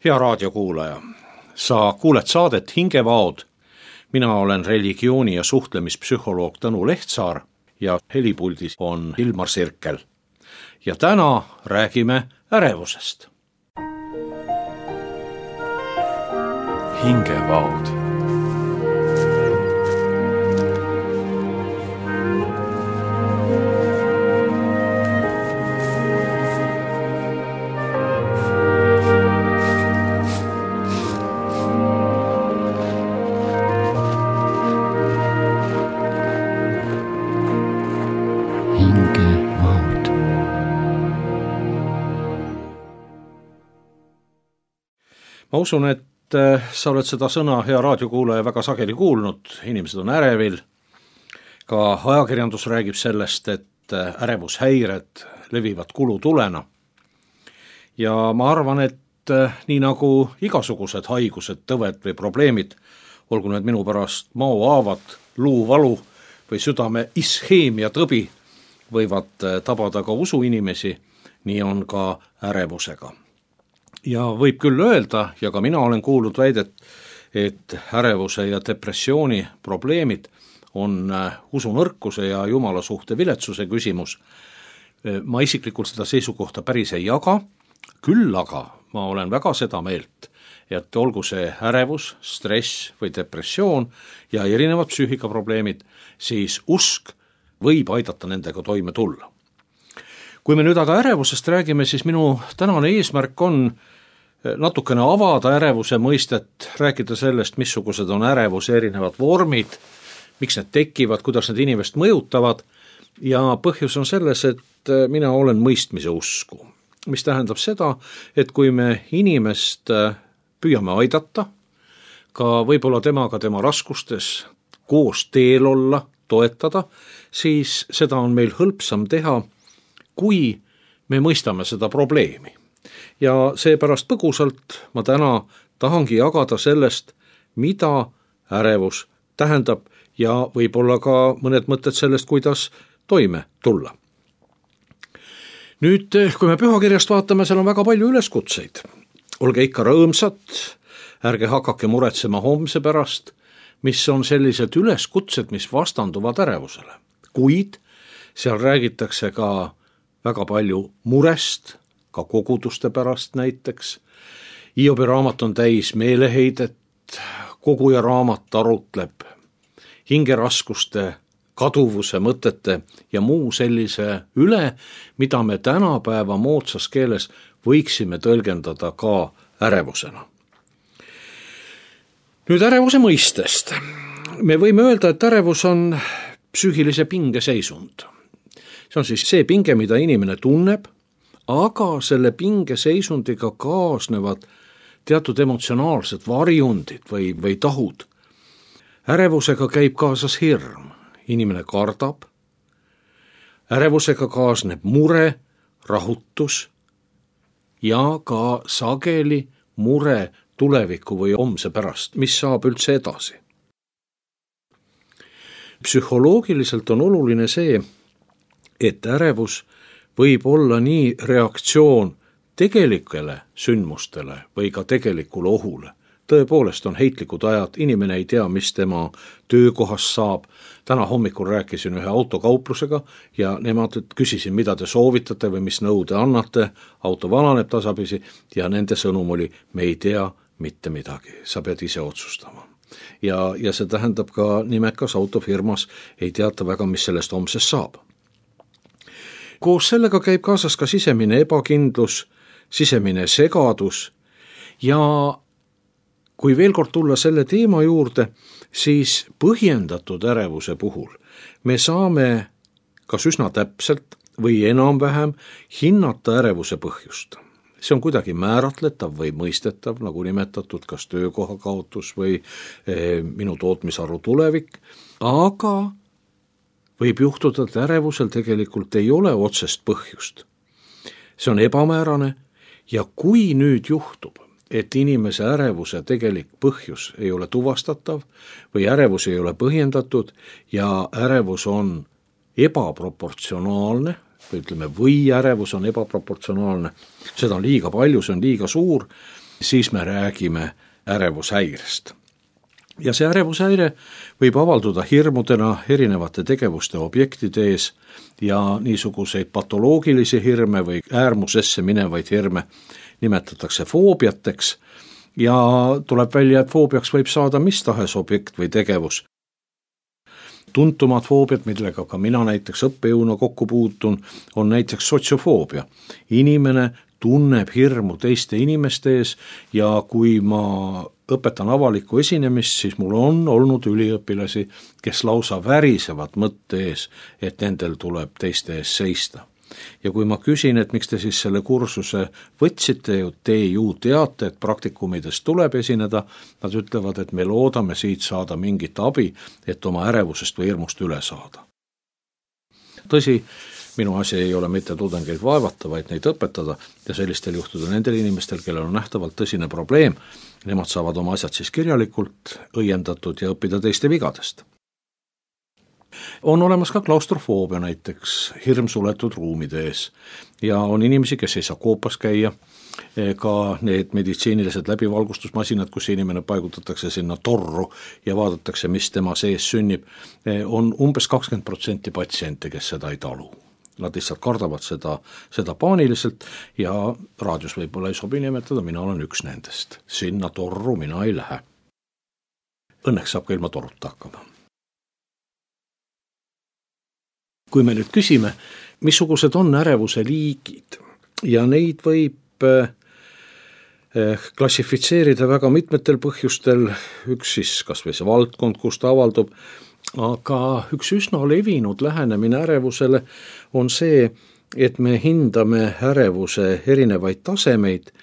Hea raadiokuulaja, sa kuuled saadet Hingevaod. Mina olen religiooni- ja suhtlemispsühholoog Tõnu Lehtsaar ja helipuldis on Ilmar Sirkel. Ja täna räägime ärevusest. Hingevaod. Ma usun, et sa oled seda sõna, hea raadiokuulaja, väga sageli kuulnud. Inimesed on ärevil. Ka ajakirjandus räägib sellest, et ärevushäired levivad kulutulena. Ja ma arvan, et nii nagu igasugused haigused, tõved või probleemid, olgu need minu pärast maohaavad, luuvalu või südame isheemia tõbi, võivad tabada ka usuinimesi, nii on ka ärevusega. Ja võib küll öelda, ja ka mina olen kuulnud väidet, et ärevuse ja depressiooni probleemid on usunõrkuse ja jumala suhte viletsuse küsimus. Ma isiklikult seda seisukohta päris ei jaga, küll aga ma olen väga seda meelt, et olgu see ärevus, stress või depressioon ja erinevad psüühikaprobleemid, siis usk võib aidata nendega toime tulla. Kui me nüüd aga ärevusest räägime, siis minu tänane eesmärk on natukene avada ärevuse mõistet, rääkida sellest, missugused on ärevuse erinevad vormid, miks need tekivad, kuidas need inimest mõjutavad, ja põhjus on selles, et mina olen mõistmise usku, mis tähendab seda, et kui me inimest püüame aidata, ka võib-olla temaga tema raskustes koos teel olla, toetada, siis seda on meil hõlpsam teha, kui me mõistame seda probleemi. Ja seepärast põgusalt ma täna tahangi jagada sellest, mida ärevus tähendab ja võib-olla ka mõned mõtted sellest, kuidas toime tulla. Nüüd, kui me pühakirjast vaatame, seal on väga palju üleskutseid. Olge ikka rõõmsad, ärge hakake muretsema homse pärast, mis on sellised üleskutsed, mis vastanduvad ärevusele. Kuid seal räägitakse ka väga palju murest, ka koguduste pärast näiteks. Hiobi raamat on täis meeleheidet, koguja raamat arutleb hingeraskuste, kaduvuse mõtete ja muu sellise üle, mida me tänapäeva moodsas keeles võiksime tõlgendada ka ärevusena. Nüüd ärevuse mõistest. Me võime öelda, et ärevus on psüühilise pinge seisund. See on siis see pinge, mida inimene tunneb, aga selle pingeseisundiga kaasnevad teatud emotsionaalsed varjundid või tahud. Ärevusega käib kaasas hirm, inimene kardab, ärevusega kaasneb mure, rahutus ja ka sageli mure tuleviku või homse pärast, mis saab üldse edasi. Psühholoogiliselt on oluline see, et ärevus võib olla nii reaktsioon tegelikele sündmustele või ka tegelikule ohule. Tõepoolest on heitlikud ajad, inimene ei tea, mis tema töökohas saab. Täna hommikul rääkisin ühe autokauplusega ja nemad küsisin, mida te soovitate või mis nõu te annate. Auto vananeb tasapisi ja nende sõnum oli, me ei tea mitte midagi, sa pead ise otsustama. Ja see tähendab ka nimekas autofirmas ei teata väga, mis sellest homsest saab. Koos sellega käib kaasas ka sisemine ebakindlus, sisemine segadus ja kui veel kord tulla selle teema juurde, siis põhjendatud ärevuse puhul me saame kas üsna täpselt või enam-vähem hinnata ärevuse põhjust. See on kuidagi määratletav või mõistetav, nagu nimetatud, kas töökoha kaotus või minu tootmisharu tulevik, aga võib juhtuda, et ärevusel tegelikult ei ole otsest põhjust. See on ebamäärane ja kui nüüd juhtub, et inimese ärevuse tegelik põhjus ei ole tuvastatav või ärevus ei ole põhjendatud ja ärevus on ebaproportsionaalne, või ütleme, või ärevus on ebaproportsionaalne, seda on liiga palju, see on liiga suur, siis me räägime ärevushäirest. Ja see ärevushäire võib avalduda hirmudena erinevate tegevuste objektide ees ja niisuguseid patoloogilisi hirme või äärmusesse minevaid hirme nimetatakse foobiateks ja tuleb välja, et foobiaks võib saada mis tahes objekt või tegevus. Tuntumad foobiad, millega ka mina näiteks õppejõuna kokku puutun, on näiteks sotsiofoobia. Inimene tunneb hirmu teiste inimeste ees ja kui ma õpetan avalikku esinemist, siis mul on olnud üliõpilasi, kes lausa värisevad mõtte ees, et nendel tuleb teiste ees seista. Ja kui ma küsin, et miks te siis selle kursuse võtsite, te ju teate, et praktikumides tuleb esineda, nad ütlevad, et me loodame siit saada mingit abi, et oma ärevusest või hirmust üle saada. Tõsi, minu asi ei ole mitte tudengeid vaevata, vaid neid õpetada ja sellistel juhtudel nendel inimestel, kellel on nähtavalt tõsine probleem, nemad saavad oma asjad siis kirjalikult õiendatud ja õppida teiste vigadest. On olemas ka klaustrofoobia näiteks, hirm suletud ruumide ees ja on inimesi, kes ei saa koopas käia, ka need meditsiinilised läbivalgustusmasinad, kus inimene paigutatakse sinna torru ja vaadatakse, mis tema sees sünnib, on umbes 20% patsiente, kes seda ei talu. Nad lihtsalt kardavad seda paaniliselt ja raadios võib-olla ei sobi nimetada, mina olen üks nendest. Sinna torru mina ei lähe. Õnneks saab ka ilma torruta hakkama. Kui me nüüd küsime, missugused on ärevuse liigid ja neid võib klassifitseerida väga mitmetel põhjustel, üks siis kas või see valdkond, kus ta avaldub, aga üks üsna levinud lähenemine ärevusele on see, et me hindame ärevuse erinevaid tasemeid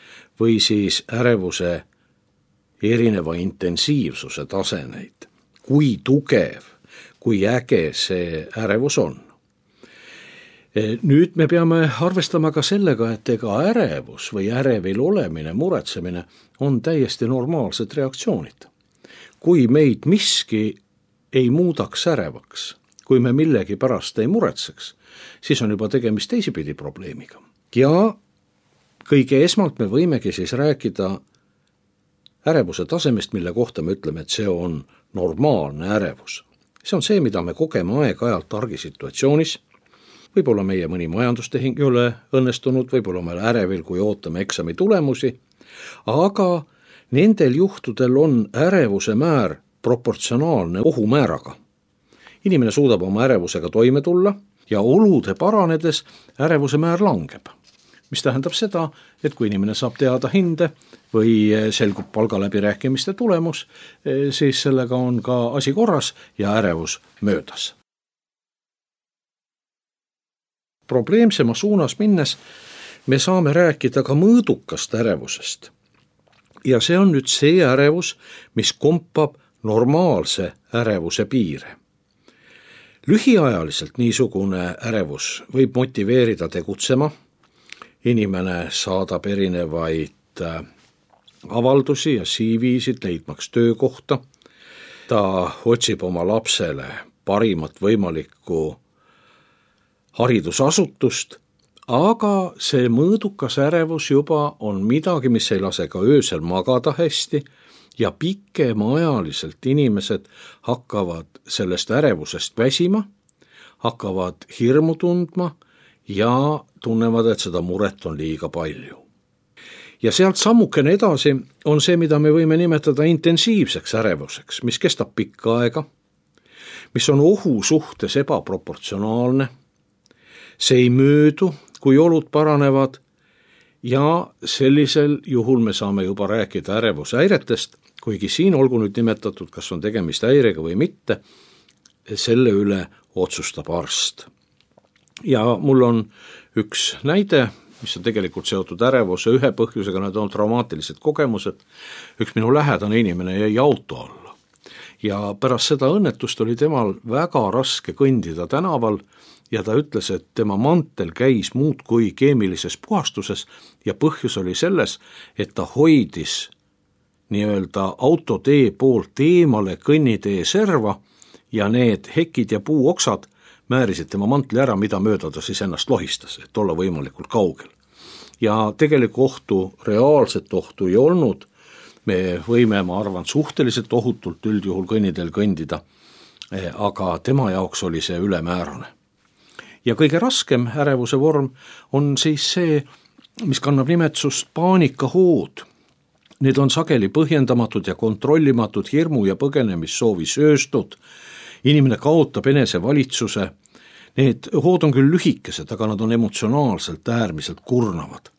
või siis ärevuse erineva intensiivsuse tasemeid. Kui tugev, kui äge see ärevus on. Nüüd me peame arvestama ka sellega, et ega ärevus või ärevil olemine, muretsemine on täiesti normaalsed reaktsioonid. Kui meid miski ei muudaks ärevaks, kui me millegi pärast ei muretseks, siis on juba tegemist teisipidi probleemiga. Ja kõige esmalt me võimegi siis rääkida ärevuse tasemest, mille kohta me ütleme, et see on normaalne ärevus. See on see, mida me kogeme aeg-ajalt argisituatsioonis. Võib-olla meie mõni majandustehing ei ole õnnestunud, võib-olla me ärevil, kui ootame eksami tulemusi, aga nendel juhtudel on ärevuse määr proportsionaalne ohumääraga. Inimene suudab oma ärevusega toime tulla ja olude paranedes ärevuse määr langeb. Mis tähendab seda, et kui inimene saab teada hinde või selgub palgaläbirääkimiste tulemus, siis sellega on ka asi korras ja ärevus möödas. Probleemsema suunas minnes me saame rääkida ka mõõdukast ärevusest. Ja see on nüüd see ärevus, mis kompab normaalse ärevuse piire. Lühiajaliselt niisugune ärevus võib motiveerida tegutsema. Inimene saadab erinevaid avaldusi ja CV-sid leidmaks töökohta. Ta otsib oma lapsele parimat võimalikku haridusasutust, aga see mõõdukas ärevus juba on midagi, mis ei lase ka öösel magada hästi ja pikemaajaliselt inimesed hakkavad sellest ärevusest väsima, hakkavad hirmu tundma ja tunnevad, et seda muret on liiga palju. Ja sealt sammukene edasi on see, mida me võime nimetada intensiivseks ärevuseks, mis kestab pikka aega, mis on ohu suhtes ebaproportsionaalne. See ei möödu, kui olud paranevad ja sellisel juhul me saame juba rääkida ärevushäiretest, kuigi siin olgu nüüd nimetatud, kas on tegemist häirega või mitte, selle üle otsustab arst. Ja mul on üks näide, mis on tegelikult seotud ärevuse ühe põhjusega, need on traumaatilised kogemused. Üks minu lähedane inimene jäi auto alla ja pärast seda õnnetust oli temal väga raske kõndida tänaval ja ta ütles, et tema mantel käis muudkui keemilises puhastuses ja põhjus oli selles, et ta hoidis nii-öelda autotee poolt eemale kõnnitee serva ja need hekid ja puuoksad määrisid tema mantli ära, mida mööda ta siis ennast lohistas, et olla võimalikult kaugel. ja tegelikku ohtu, reaalset ohtu ei olnud. Me võime, ma arvan, suhteliselt ohutult üldjuhul kõnniteel kõndida, aga tema jaoks oli see ülemäärane. Ja kõige raskem ärevuse vorm on siis see, mis kannab nimetust paanikahood. Need on sageli põhjendamatud ja kontrollimatud hirmu ja põgenemissoovi sööstud. Inimene kaotab enesevalitsuse. Need hood on küll lühikesed, aga nad on emotsionaalselt äärmiselt kurnavad.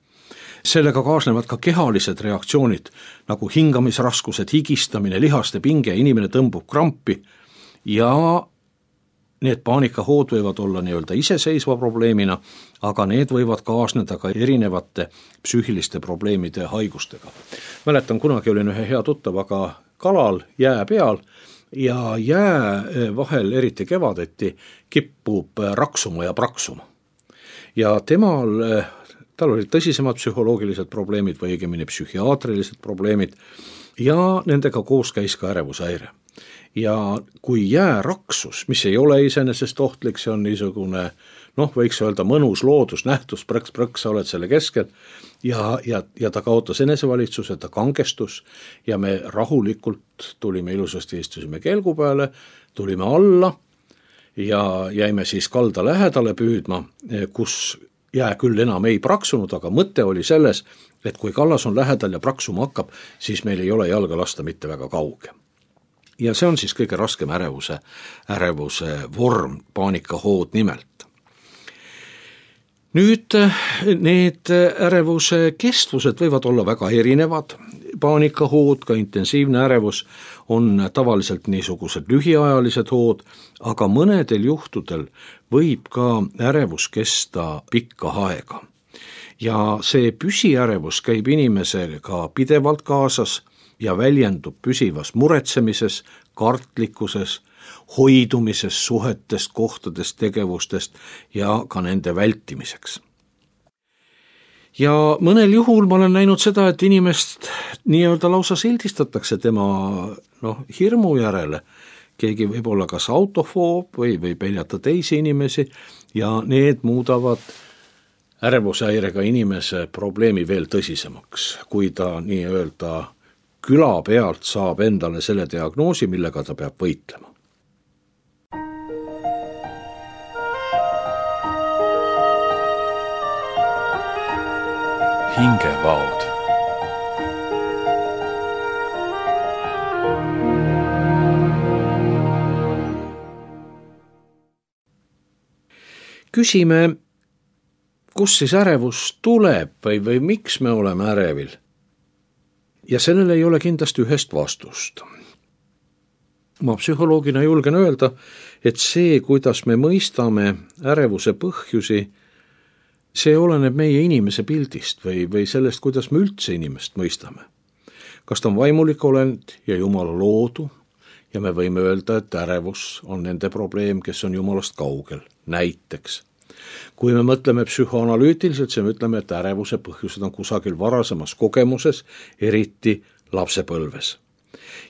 Sellega kaasnevad ka kehalised reaktsioonid, nagu hingamisraskused, higistamine, lihaste pinge, inimene tõmbub krampi ja need paanikahood võivad olla nii-öelda iseseisva probleemina, aga need võivad kaasneda ka erinevate psüühiliste probleemide haigustega. Mäletan, kunagi olin ühe hea tuttavaga kalal jää peal ja jää vahel, eriti kevadeti, kippub raksuma ja praksuma. Ja tal olid tõsisemad psühholoogilised probleemid või õigemini psühhiaatrilised probleemid ja nendega koos käis ka ärevushäire. Ja kui jää raksus, mis ei ole iseenesest ohtlik, see on niisugune, võiks öelda mõnus loodusnähtus, prõks, sa oled selle keskel ja ta kaotas enesevalitsuse, ta kangestus ja me rahulikult tulime ilusasti, istusime kelgu peale, tulime alla ja jäime siis kalda lähedale püüdma, kus jää küll enam ei praksunud, aga mõte oli selles, et kui kallas on lähedal ja praksuma hakkab, siis meil ei ole jalga lasta mitte väga kauge. Ja see on siis kõige raskem ärevuse vorm, paanikahood nimelt. Nüüd need ärevuse kestvused võivad olla väga erinevad. Paanikahood, ka intensiivne ärevus on tavaliselt niisugused lühiajalised hood, aga mõnedel juhtudel võib ka ärevus kesta pikka aega. Ja see püsiärevus käib inimesega pidevalt kaasas ja väljendub püsivas muretsemises, kartlikkuses, hoidumises suhetest, kohtadest, tegevustest ja ka nende vältimiseks. Ja mõnel juhul ma olen näinud seda, et inimest nii-öelda lausa sildistatakse tema hirmu järele. Keegi võib olla kas autofoob või peljata teisi inimesi ja need muudavad ärevushäirega inimese probleemi veel tõsisemaks, kui ta nii-öelda küla pealt saab endale selle diagnoosi, millega ta peab võitlema. Hingevaod. Küsime, kus siis ärevus tuleb või miks me oleme ärevil? Ja sellele ei ole kindlasti ühest vastust. Ma psühholoogina julgen öelda, et see, kuidas me mõistame ärevuse põhjusi, see oleneb meie inimese pildist või sellest, kuidas me üldse inimest mõistame. Kas ta on vaimulik olend ja Jumala loodu ja me võime öelda, et ärevus on nende probleem, kes on Jumalast kaugel, näiteks. Kui me mõtleme psühhoanalüütiliselt, siis me ütleme, et ärevuse põhjused on kusagil varasemas kogemuses, eriti lapsepõlves.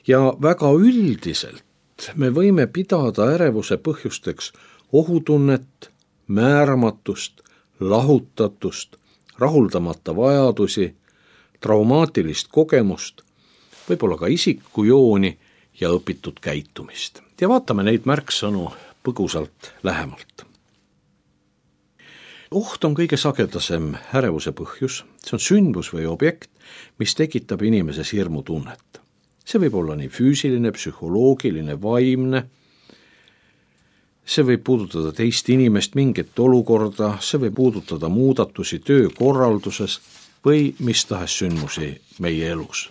Ja väga üldiselt me võime pidada ärevuse põhjusteks ohutunnet, määramatust, lahutatust, rahuldamata vajadusi, traumaatilist kogemust, võib-olla ka isikujooni ja õpitud käitumist. Ja vaatame neid märksõnu põgusalt lähemalt. Oht on kõige sagedasem ärevuse põhjus, see on sündmus või objekt, mis tekitab inimeses hirmutunnet. See võib olla nii füüsiline, psühholoogiline, vaimne, see võib puudutada teist inimest, mingit olukorda, see võib puudutada muudatusi töökorralduses või mis tahes sündmusi meie elus.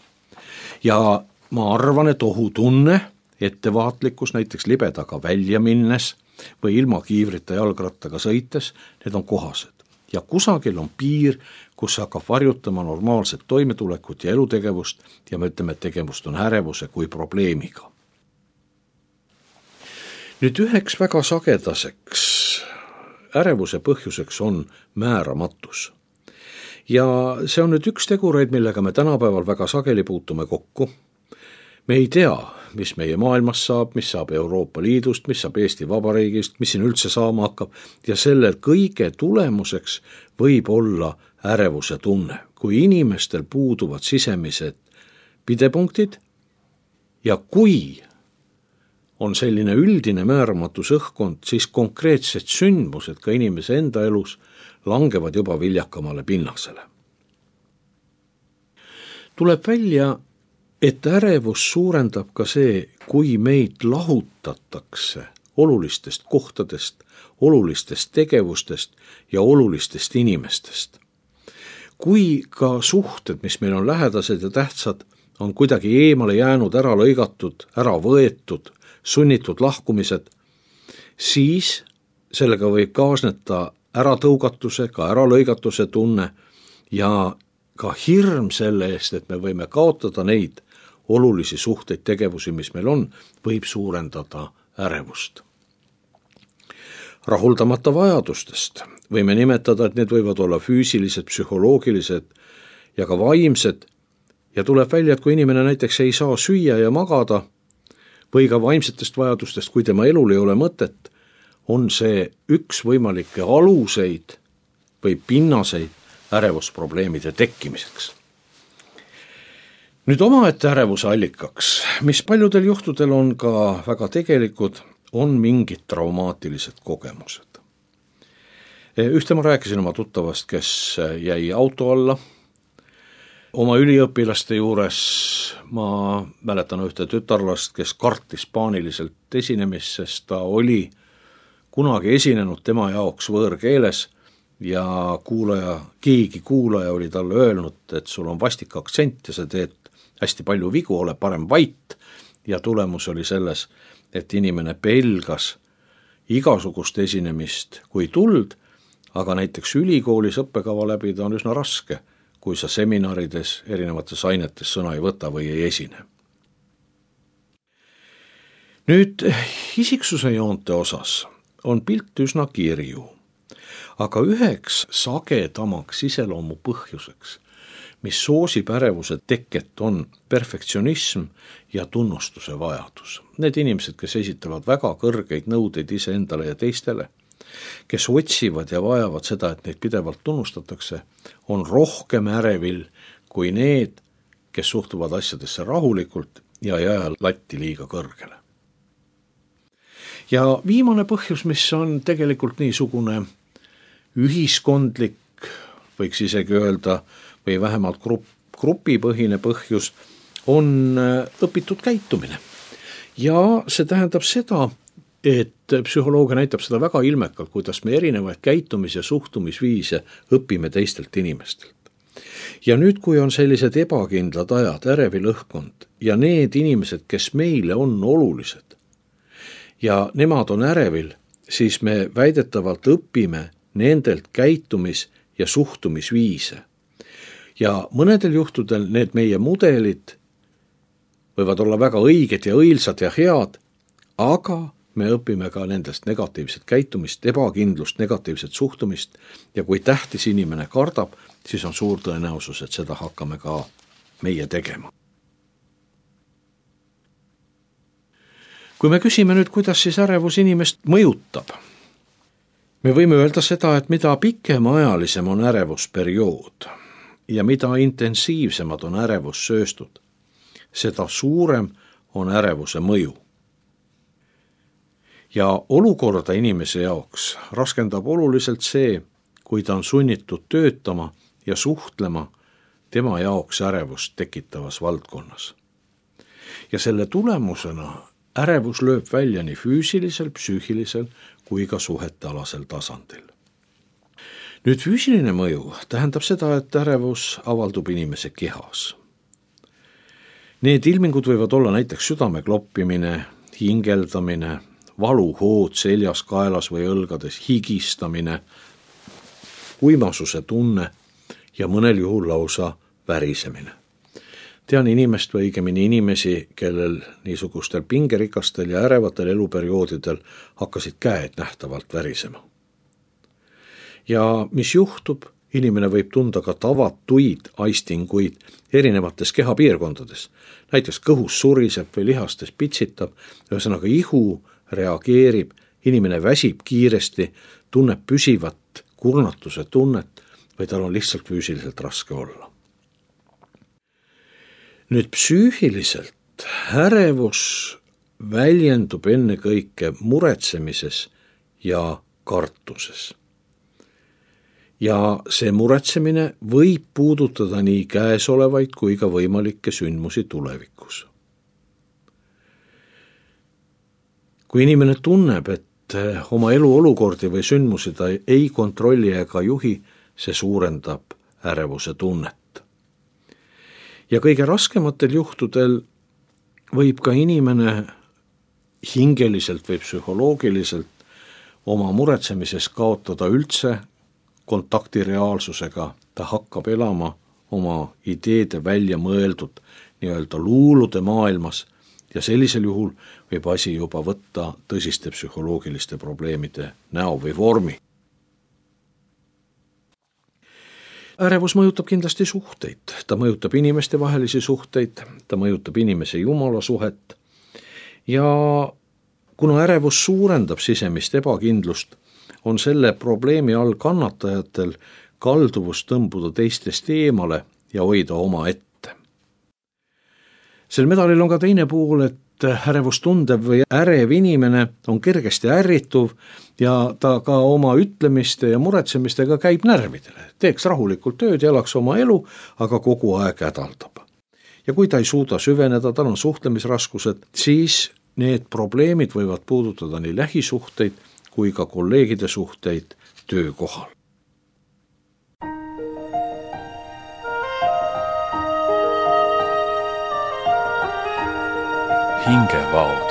Ja ma arvan, et ohutunne, ettevaatlikkus näiteks libedaga välja minnes või ilma kiivrita jalgrattaga sõites, need on kohased. Ja kusagil on piir, kus hakkab varjutama normaalset toimetulekut ja elutegevust ja me ütleme, et tegemist on ärevuse kui probleemiga. Nüüd üheks väga sagedaseks ärevuse põhjuseks on määramatus. Ja see on nüüd üks tegureid, millega me tänapäeval väga sageli puutume kokku. Me ei tea, mis meie maailmas saab, mis saab Euroopa Liidust, mis saab Eesti Vabariigist, mis siin üldse saama hakkab ja selle kõige tulemuseks võib olla ärevuse tunne, kui inimestel puuduvad sisemised pidepunktid ja kui on selline üldine määramatus õhkkond, siis konkreetsed sündmused ka inimese enda elus langevad juba viljakamale pinnasele. Tuleb välja, et ärevus suurendab ka see, kui meid lahutatakse olulistest kohtadest, olulistest tegevustest ja olulistest inimestest. Kui ka suhted, mis meil on lähedased ja tähtsad, on kuidagi eemale jäänud, ära lõigatud, ära võetud, sunnitud lahkumised, siis sellega võib kaasneda äratõugatuse, ka äralõigatuse tunne ja ka hirm selle eest, et me võime kaotada neid olulisi suhteid, tegevusi, mis meil on, võib suurendada ärevust. Rahuldamata vajadustest võime nimetada, et need võivad olla füüsilised, psühholoogilised ja ka vaimsed ja tuleb välja, et kui inimene näiteks ei saa süüa ja magada või ka vaimsetest vajadustest, kui tema elul ei ole mõtet, on see üks võimalikke aluseid või pinnaseid ärevusprobleemide tekkimiseks. Nüüd omaette ärevuse allikaks, mis paljudel juhtudel on ka väga tegelikud, on mingid traumaatilised kogemused. Ühte ma rääkisin oma tuttavast, kes jäi auto alla. Oma üliõpilaste juures ma mäletan ühte tütarlast, kes kartis paaniliselt esinemist, sest ta oli kunagi esinenud tema jaoks võõrkeeles ja keegi kuulaja oli talle öelnud, et sul on vastik aktsent ja sa teed hästi palju vigu, ole parem vait, ja tulemus oli selles, et inimene pelgas igasugust esinemist kui tuld, aga näiteks ülikoolis õppekava läbida on üsna raske, kui sa seminarides erinevates ainetes sõna ei võta või ei esine. Nüüd isiksuse joonte osas on pilt üsna kirju, aga üheks sagedamaks iseloomu põhjuseks, mis soosib ärevuse teket, on perfektsionism ja tunnustuse vajadus. Need inimesed, kes esitavad väga kõrgeid nõudeid iseendale ja teistele, kes otsivad ja vajavad seda, et neid pidevalt tunnustatakse, on rohkem ärevil kui need, kes suhtuvad asjadesse rahulikult ja ei aja latti liiga kõrgele. Ja viimane põhjus, mis on tegelikult niisugune ühiskondlik, võiks isegi öelda, või vähemalt grupipõhine põhjus, on õpitud käitumine. Ja see tähendab seda, et psühholoogia näitab seda väga ilmekalt, kuidas me erinevaid käitumis- ja suhtumisviise õpime teistelt inimestelt. Ja nüüd, kui on sellised ebakindlad ajad, ärevil õhkkond ja need inimesed, kes meile on olulised ja nemad on ärevil, siis me väidetavalt õpime nendelt käitumis- ja suhtumisviise. Ja mõnedel juhtudel need meie mudelid võivad olla väga õiged ja õilsad ja head, aga me õpime ka nendest negatiivset käitumist, ebakindlust, negatiivset suhtumist ja kui tähtis inimene kardab, siis on suur tõenäosus, et seda hakkame ka meie tegema. Kui me küsime nüüd, kuidas siis ärevus inimest mõjutab, me võime öelda seda, et mida pikemaajalisem on ärevusperiood ja mida intensiivsemad on ärevussööstud, seda suurem on ärevuse mõju. Ja olukorda inimese jaoks raskendab oluliselt see, kui ta on sunnitud töötama ja suhtlema tema jaoks ärevust tekitavas valdkonnas. Ja selle tulemusena ärevus lööb välja nii füüsilisel, psüühilisel kui ka suhetealasel tasandil. Nüüd füüsiline mõju tähendab seda, et ärevus avaldub inimese kehas. Need ilmingud võivad olla näiteks südame kloppimine, hingeldamine, valuhood seljas, kaelas või õlgades, higistamine, uimasuse tunne ja mõnel juhul lausa värisemine. Tean inimest või õigemini inimesi, kellel niisugustel pingerikastel ja ärevatel eluperioodidel hakkasid käed nähtavalt värisema. Ja mis juhtub? Inimene võib tunda ka tavatuid aistinguid erinevates kehapiirkondades. Näiteks kõhus suriseb või lihastes pitsitab, ühesõnaga ihu reageerib, inimene väsib kiiresti, tunneb püsivat kurnatuse tunnet või tal on lihtsalt füüsiliselt raske olla. Nüüd psüühiliselt ärevus väljendub ennekõike muretsemises ja kartuses. Ja see muretsemine võib puudutada nii käesolevaid kui ka võimalikke sündmusi tulevikus. Kui inimene tunneb, et oma eluolukordi või sündmusi ta ei kontrolli ega juhi, see suurendab ärevuse tunnet. Ja kõige raskematel juhtudel võib ka inimene hingeliselt või psühholoogiliselt oma muretsemises kaotada üldse kontakti reaalsusega, ta hakkab elama oma ideede välja mõeldud nii-öelda luulude maailmas ja sellisel juhul võib asi juba võtta tõsiste psühholoogiliste probleemide näo või vormi. Ärevus mõjutab kindlasti suhteid, ta mõjutab inimeste vahelisi suhteid, ta mõjutab inimese jumala suhet ja kuna ärevus suurendab sisemist ebakindlust, on selle probleemi all kannatajatel kalduvus tõmbuda teistest eemale ja hoida oma ette. Sel medalil on ka teine pool, et ärevust tundev või ärev inimene on kergesti ärrituv ja ta ka oma ütlemiste ja muretsemistega käib närvidele. Teeks rahulikult tööd ja elaks oma elu, aga kogu aeg hädaldab. Ja kui ta ei suuda süveneda, tal on suhtlemisraskused, siis need probleemid võivad puudutada nii lähisuhteid kui ka kolleegide suhteid töökohal. Hingevaod.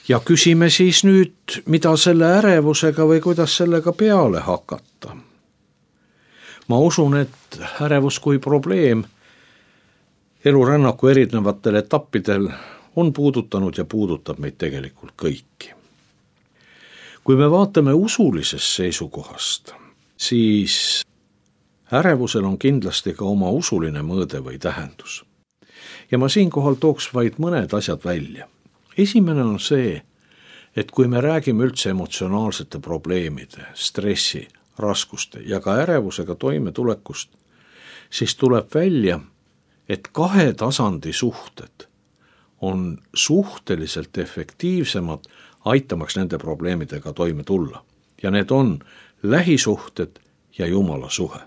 Ja küsime siis nüüd, mida selle ärevusega või kuidas sellega peale hakata. Ma usun, et ärevus kui probleem elurännaku erinevatel etappidel on puudutanud ja puudutab meid tegelikult kõiki. Kui me vaatame usulisest seisukohast, siis ärevusel on kindlasti ka oma usuline mõõde või tähendus. Ja ma siinkohal tooks vaid mõned asjad välja. Esimene on see, et kui me räägime üldse emotsionaalsete probleemide, stressi, raskuste ja ka ärevusega toimetulekust, siis tuleb välja, et 2 tasandi suhted on suhteliselt efektiivsemad aitamaks nende probleemidega toime tulla. Ja need on lähisuhted ja jumala suhe.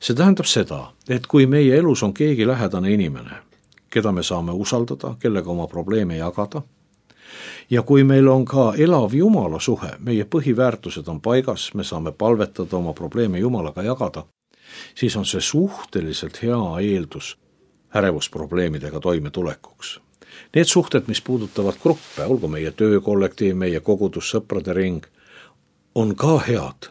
See tähendab seda, et kui meie elus on keegi lähedane inimene, keda me saame usaldada, kellega oma probleeme jagada, ja kui meil on ka elav jumala suhe, meie põhiväärtused on paigas, me saame palvetada oma probleeme jumalaga jagada, siis on see suhteliselt hea eeldus ärevusprobleemidega toimetulekuks. Need suhted, mis puudutavad gruppe, olgu meie töökollektiiv, meie kogudus, sõprade ring, on ka head,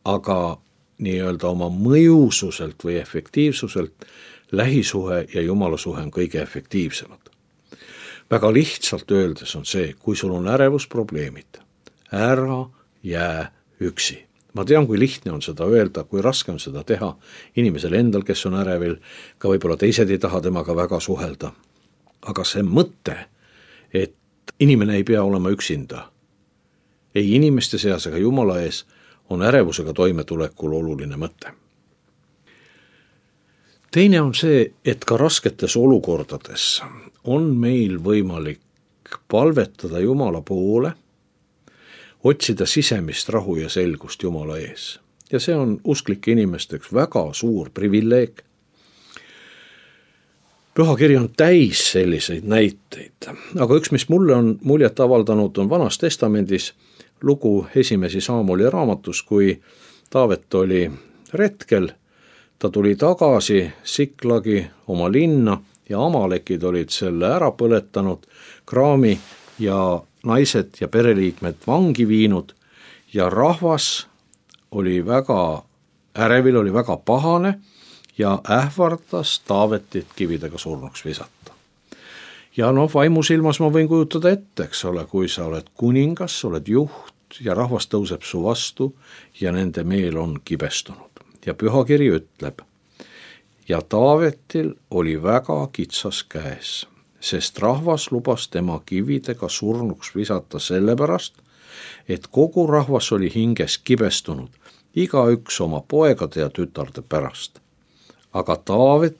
aga nii-öelda oma mõjususelt või efektiivsuselt lähisuhe ja jumala suhe on kõige efektiivsemad. Väga lihtsalt öeldes on see, kui sul on ärevusprobleemid, ära jää üksi. Ma tean, kui lihtne on seda öelda, kui raske on seda teha inimesel endal, kes on ärevil, ka võib-olla teised ei taha temaga väga suhelda. Aga see mõte, et inimene ei pea olema üksinda, ei inimeste seas ega jumala ees, on ärevusega toimetulekul oluline mõte. Teine on see, et ka rasketes olukordades on meil võimalik palvetada jumala poole, otsida sisemist rahu ja selgust jumala ees. Ja see on usklike inimesteks väga suur privileeg. Pühakiri on täis selliseid näiteid, aga üks, mis mulle on muljet avaldanud, on Vanas Testamendis lugu esimesi Saamoli raamatus, kui Taavet oli retkel, ta tuli tagasi Siklagi oma linna ja Amalekid olid selle ära põletanud, kraami ja naised ja pereliikmed vangi viinud ja rahvas oli väga ärevil, oli väga pahane ja ähvardas Taavetit kividega surnuks visata. Ja vaimusilmas ma võin kujutada ette, eks ole, kui sa oled kuningas, oled juht ja rahvas tõuseb su vastu ja nende meel on kibestunud. Ja pühakiri ütleb, ja Taavetil oli väga kitsas käes, sest rahvas lubas tema kividega surnuks visata sellepärast, et kogu rahvas oli hinges kibestunud, igaüks oma poegade ja tütarde pärast. Aga Taavet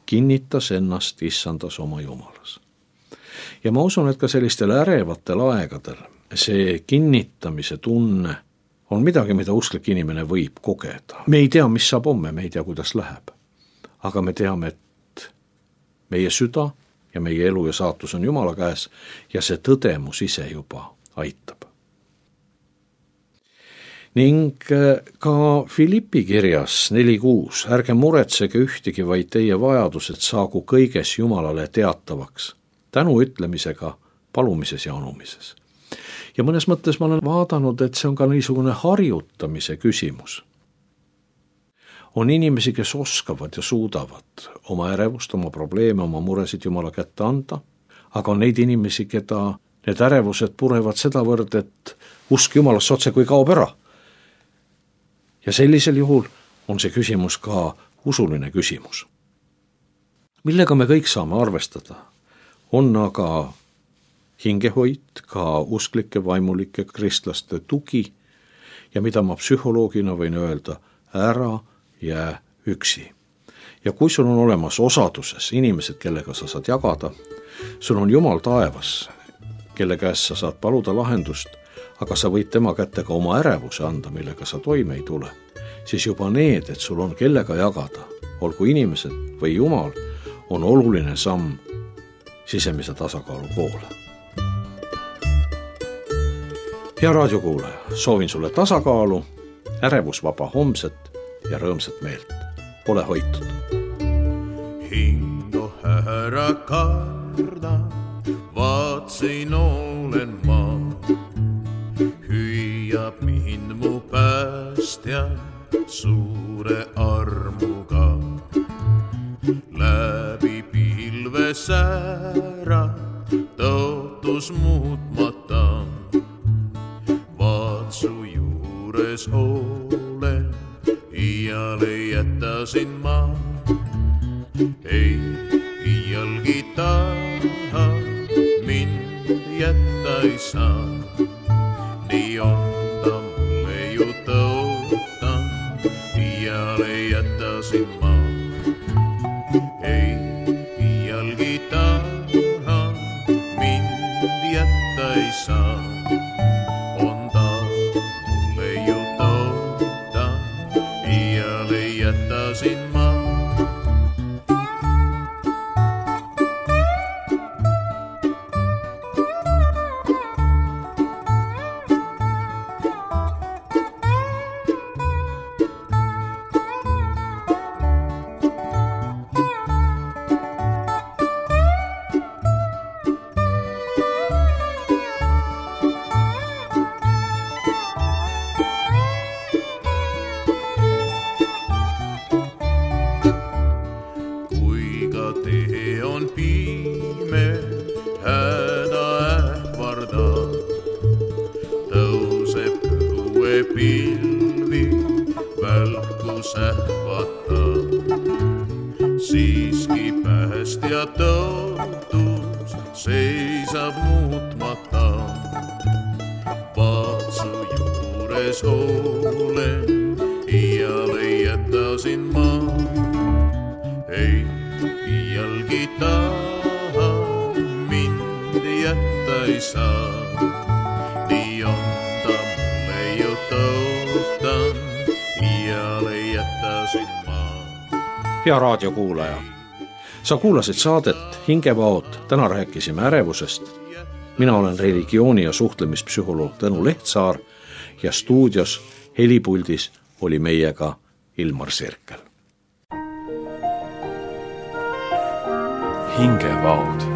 kinnitas ennast issandas oma Jumalas. Ja ma usun, et ka sellistel ärevatel aegadel see kinnitamise tunne on midagi, mida usklik inimene võib kogeda. Me ei tea, mis saab homme, me ei tea, kuidas läheb. Aga me teame, et meie süda ja meie elu ja saatus on Jumala käes ja see tõdemus ise juba aitab. Ning ka Filippi kirjas 4:6, ärge muretsege ühtegi, vaid teie vajadused saagu kõiges Jumalale teatavaks, tänu ütlemisega, palumises ja anumises. Ja mõnes mõttes ma olen vaadanud, et see on ka niisugune harjutamise küsimus. On inimesi, kes oskavad ja suudavad oma ärevust, oma probleeme, oma muresid Jumala kätte anda, aga on neid inimesi, keda need ärevused purevad sedavõrd, et usk Jumalasse otse kui kaob ära. Ja sellisel juhul on see küsimus ka usuline küsimus. Millega me kõik saame arvestada, on aga hingehoid, ka usklike, vaimulike kristlaste tugi ja mida ma psühholoogina võin öelda, ära jää üksi. Ja kui sul on olemas osaduses inimesed, kellega sa saad jagada, sul on Jumal taevas, kelle käest sa saad paluda lahendust, aga sa võid tema kätte ka oma ärevuse anda, millega sa toime ei tule, siis juba need, et sul on kellega jagada, olgu inimesed või Jumal, on oluline samm sisemise tasakaalu poole. Hea raadiokuulaja, soovin sulle tasakaalu, ärevusvaba homset ja rõõmsat meelt. Ole hoitud. Hingo ära karda, vaatsin olen ma, hüüab mind mu päästja suure armuga. Läbi pilve säära tõotus muutmata, vaatsu juures olen, iiale jättasin ma. Ei iialgi taha, mind jätta ei saa. Nii on ta mulle ju tõotan, iiale jättasin ma. Ei iialgi taha, mind jätta ei saa. On ta mulle ju tõotan, iiale jättasin ma. Tee on piime, häda ähvardab, tõuseb õue pilvi, välkus ähvatab. Siiski päästja tõotus seisab muutmata, vaatsu juures olen, iiale jättasin ma. Ei iialgi taha, mind jätta ei saa. Nii on ta mulle ju tõotan, iiale jättasin ma. Hea raadiokuulaja, sa kuulasid saadet Hingevaod, täna rääkisime ärevusest. Mina olen religiooni- ja suhtlemispsühholoog Tõnu Lehtsaar ja stuudios helipuldis oli meiega Ilmar Sirkel. Hingevaod.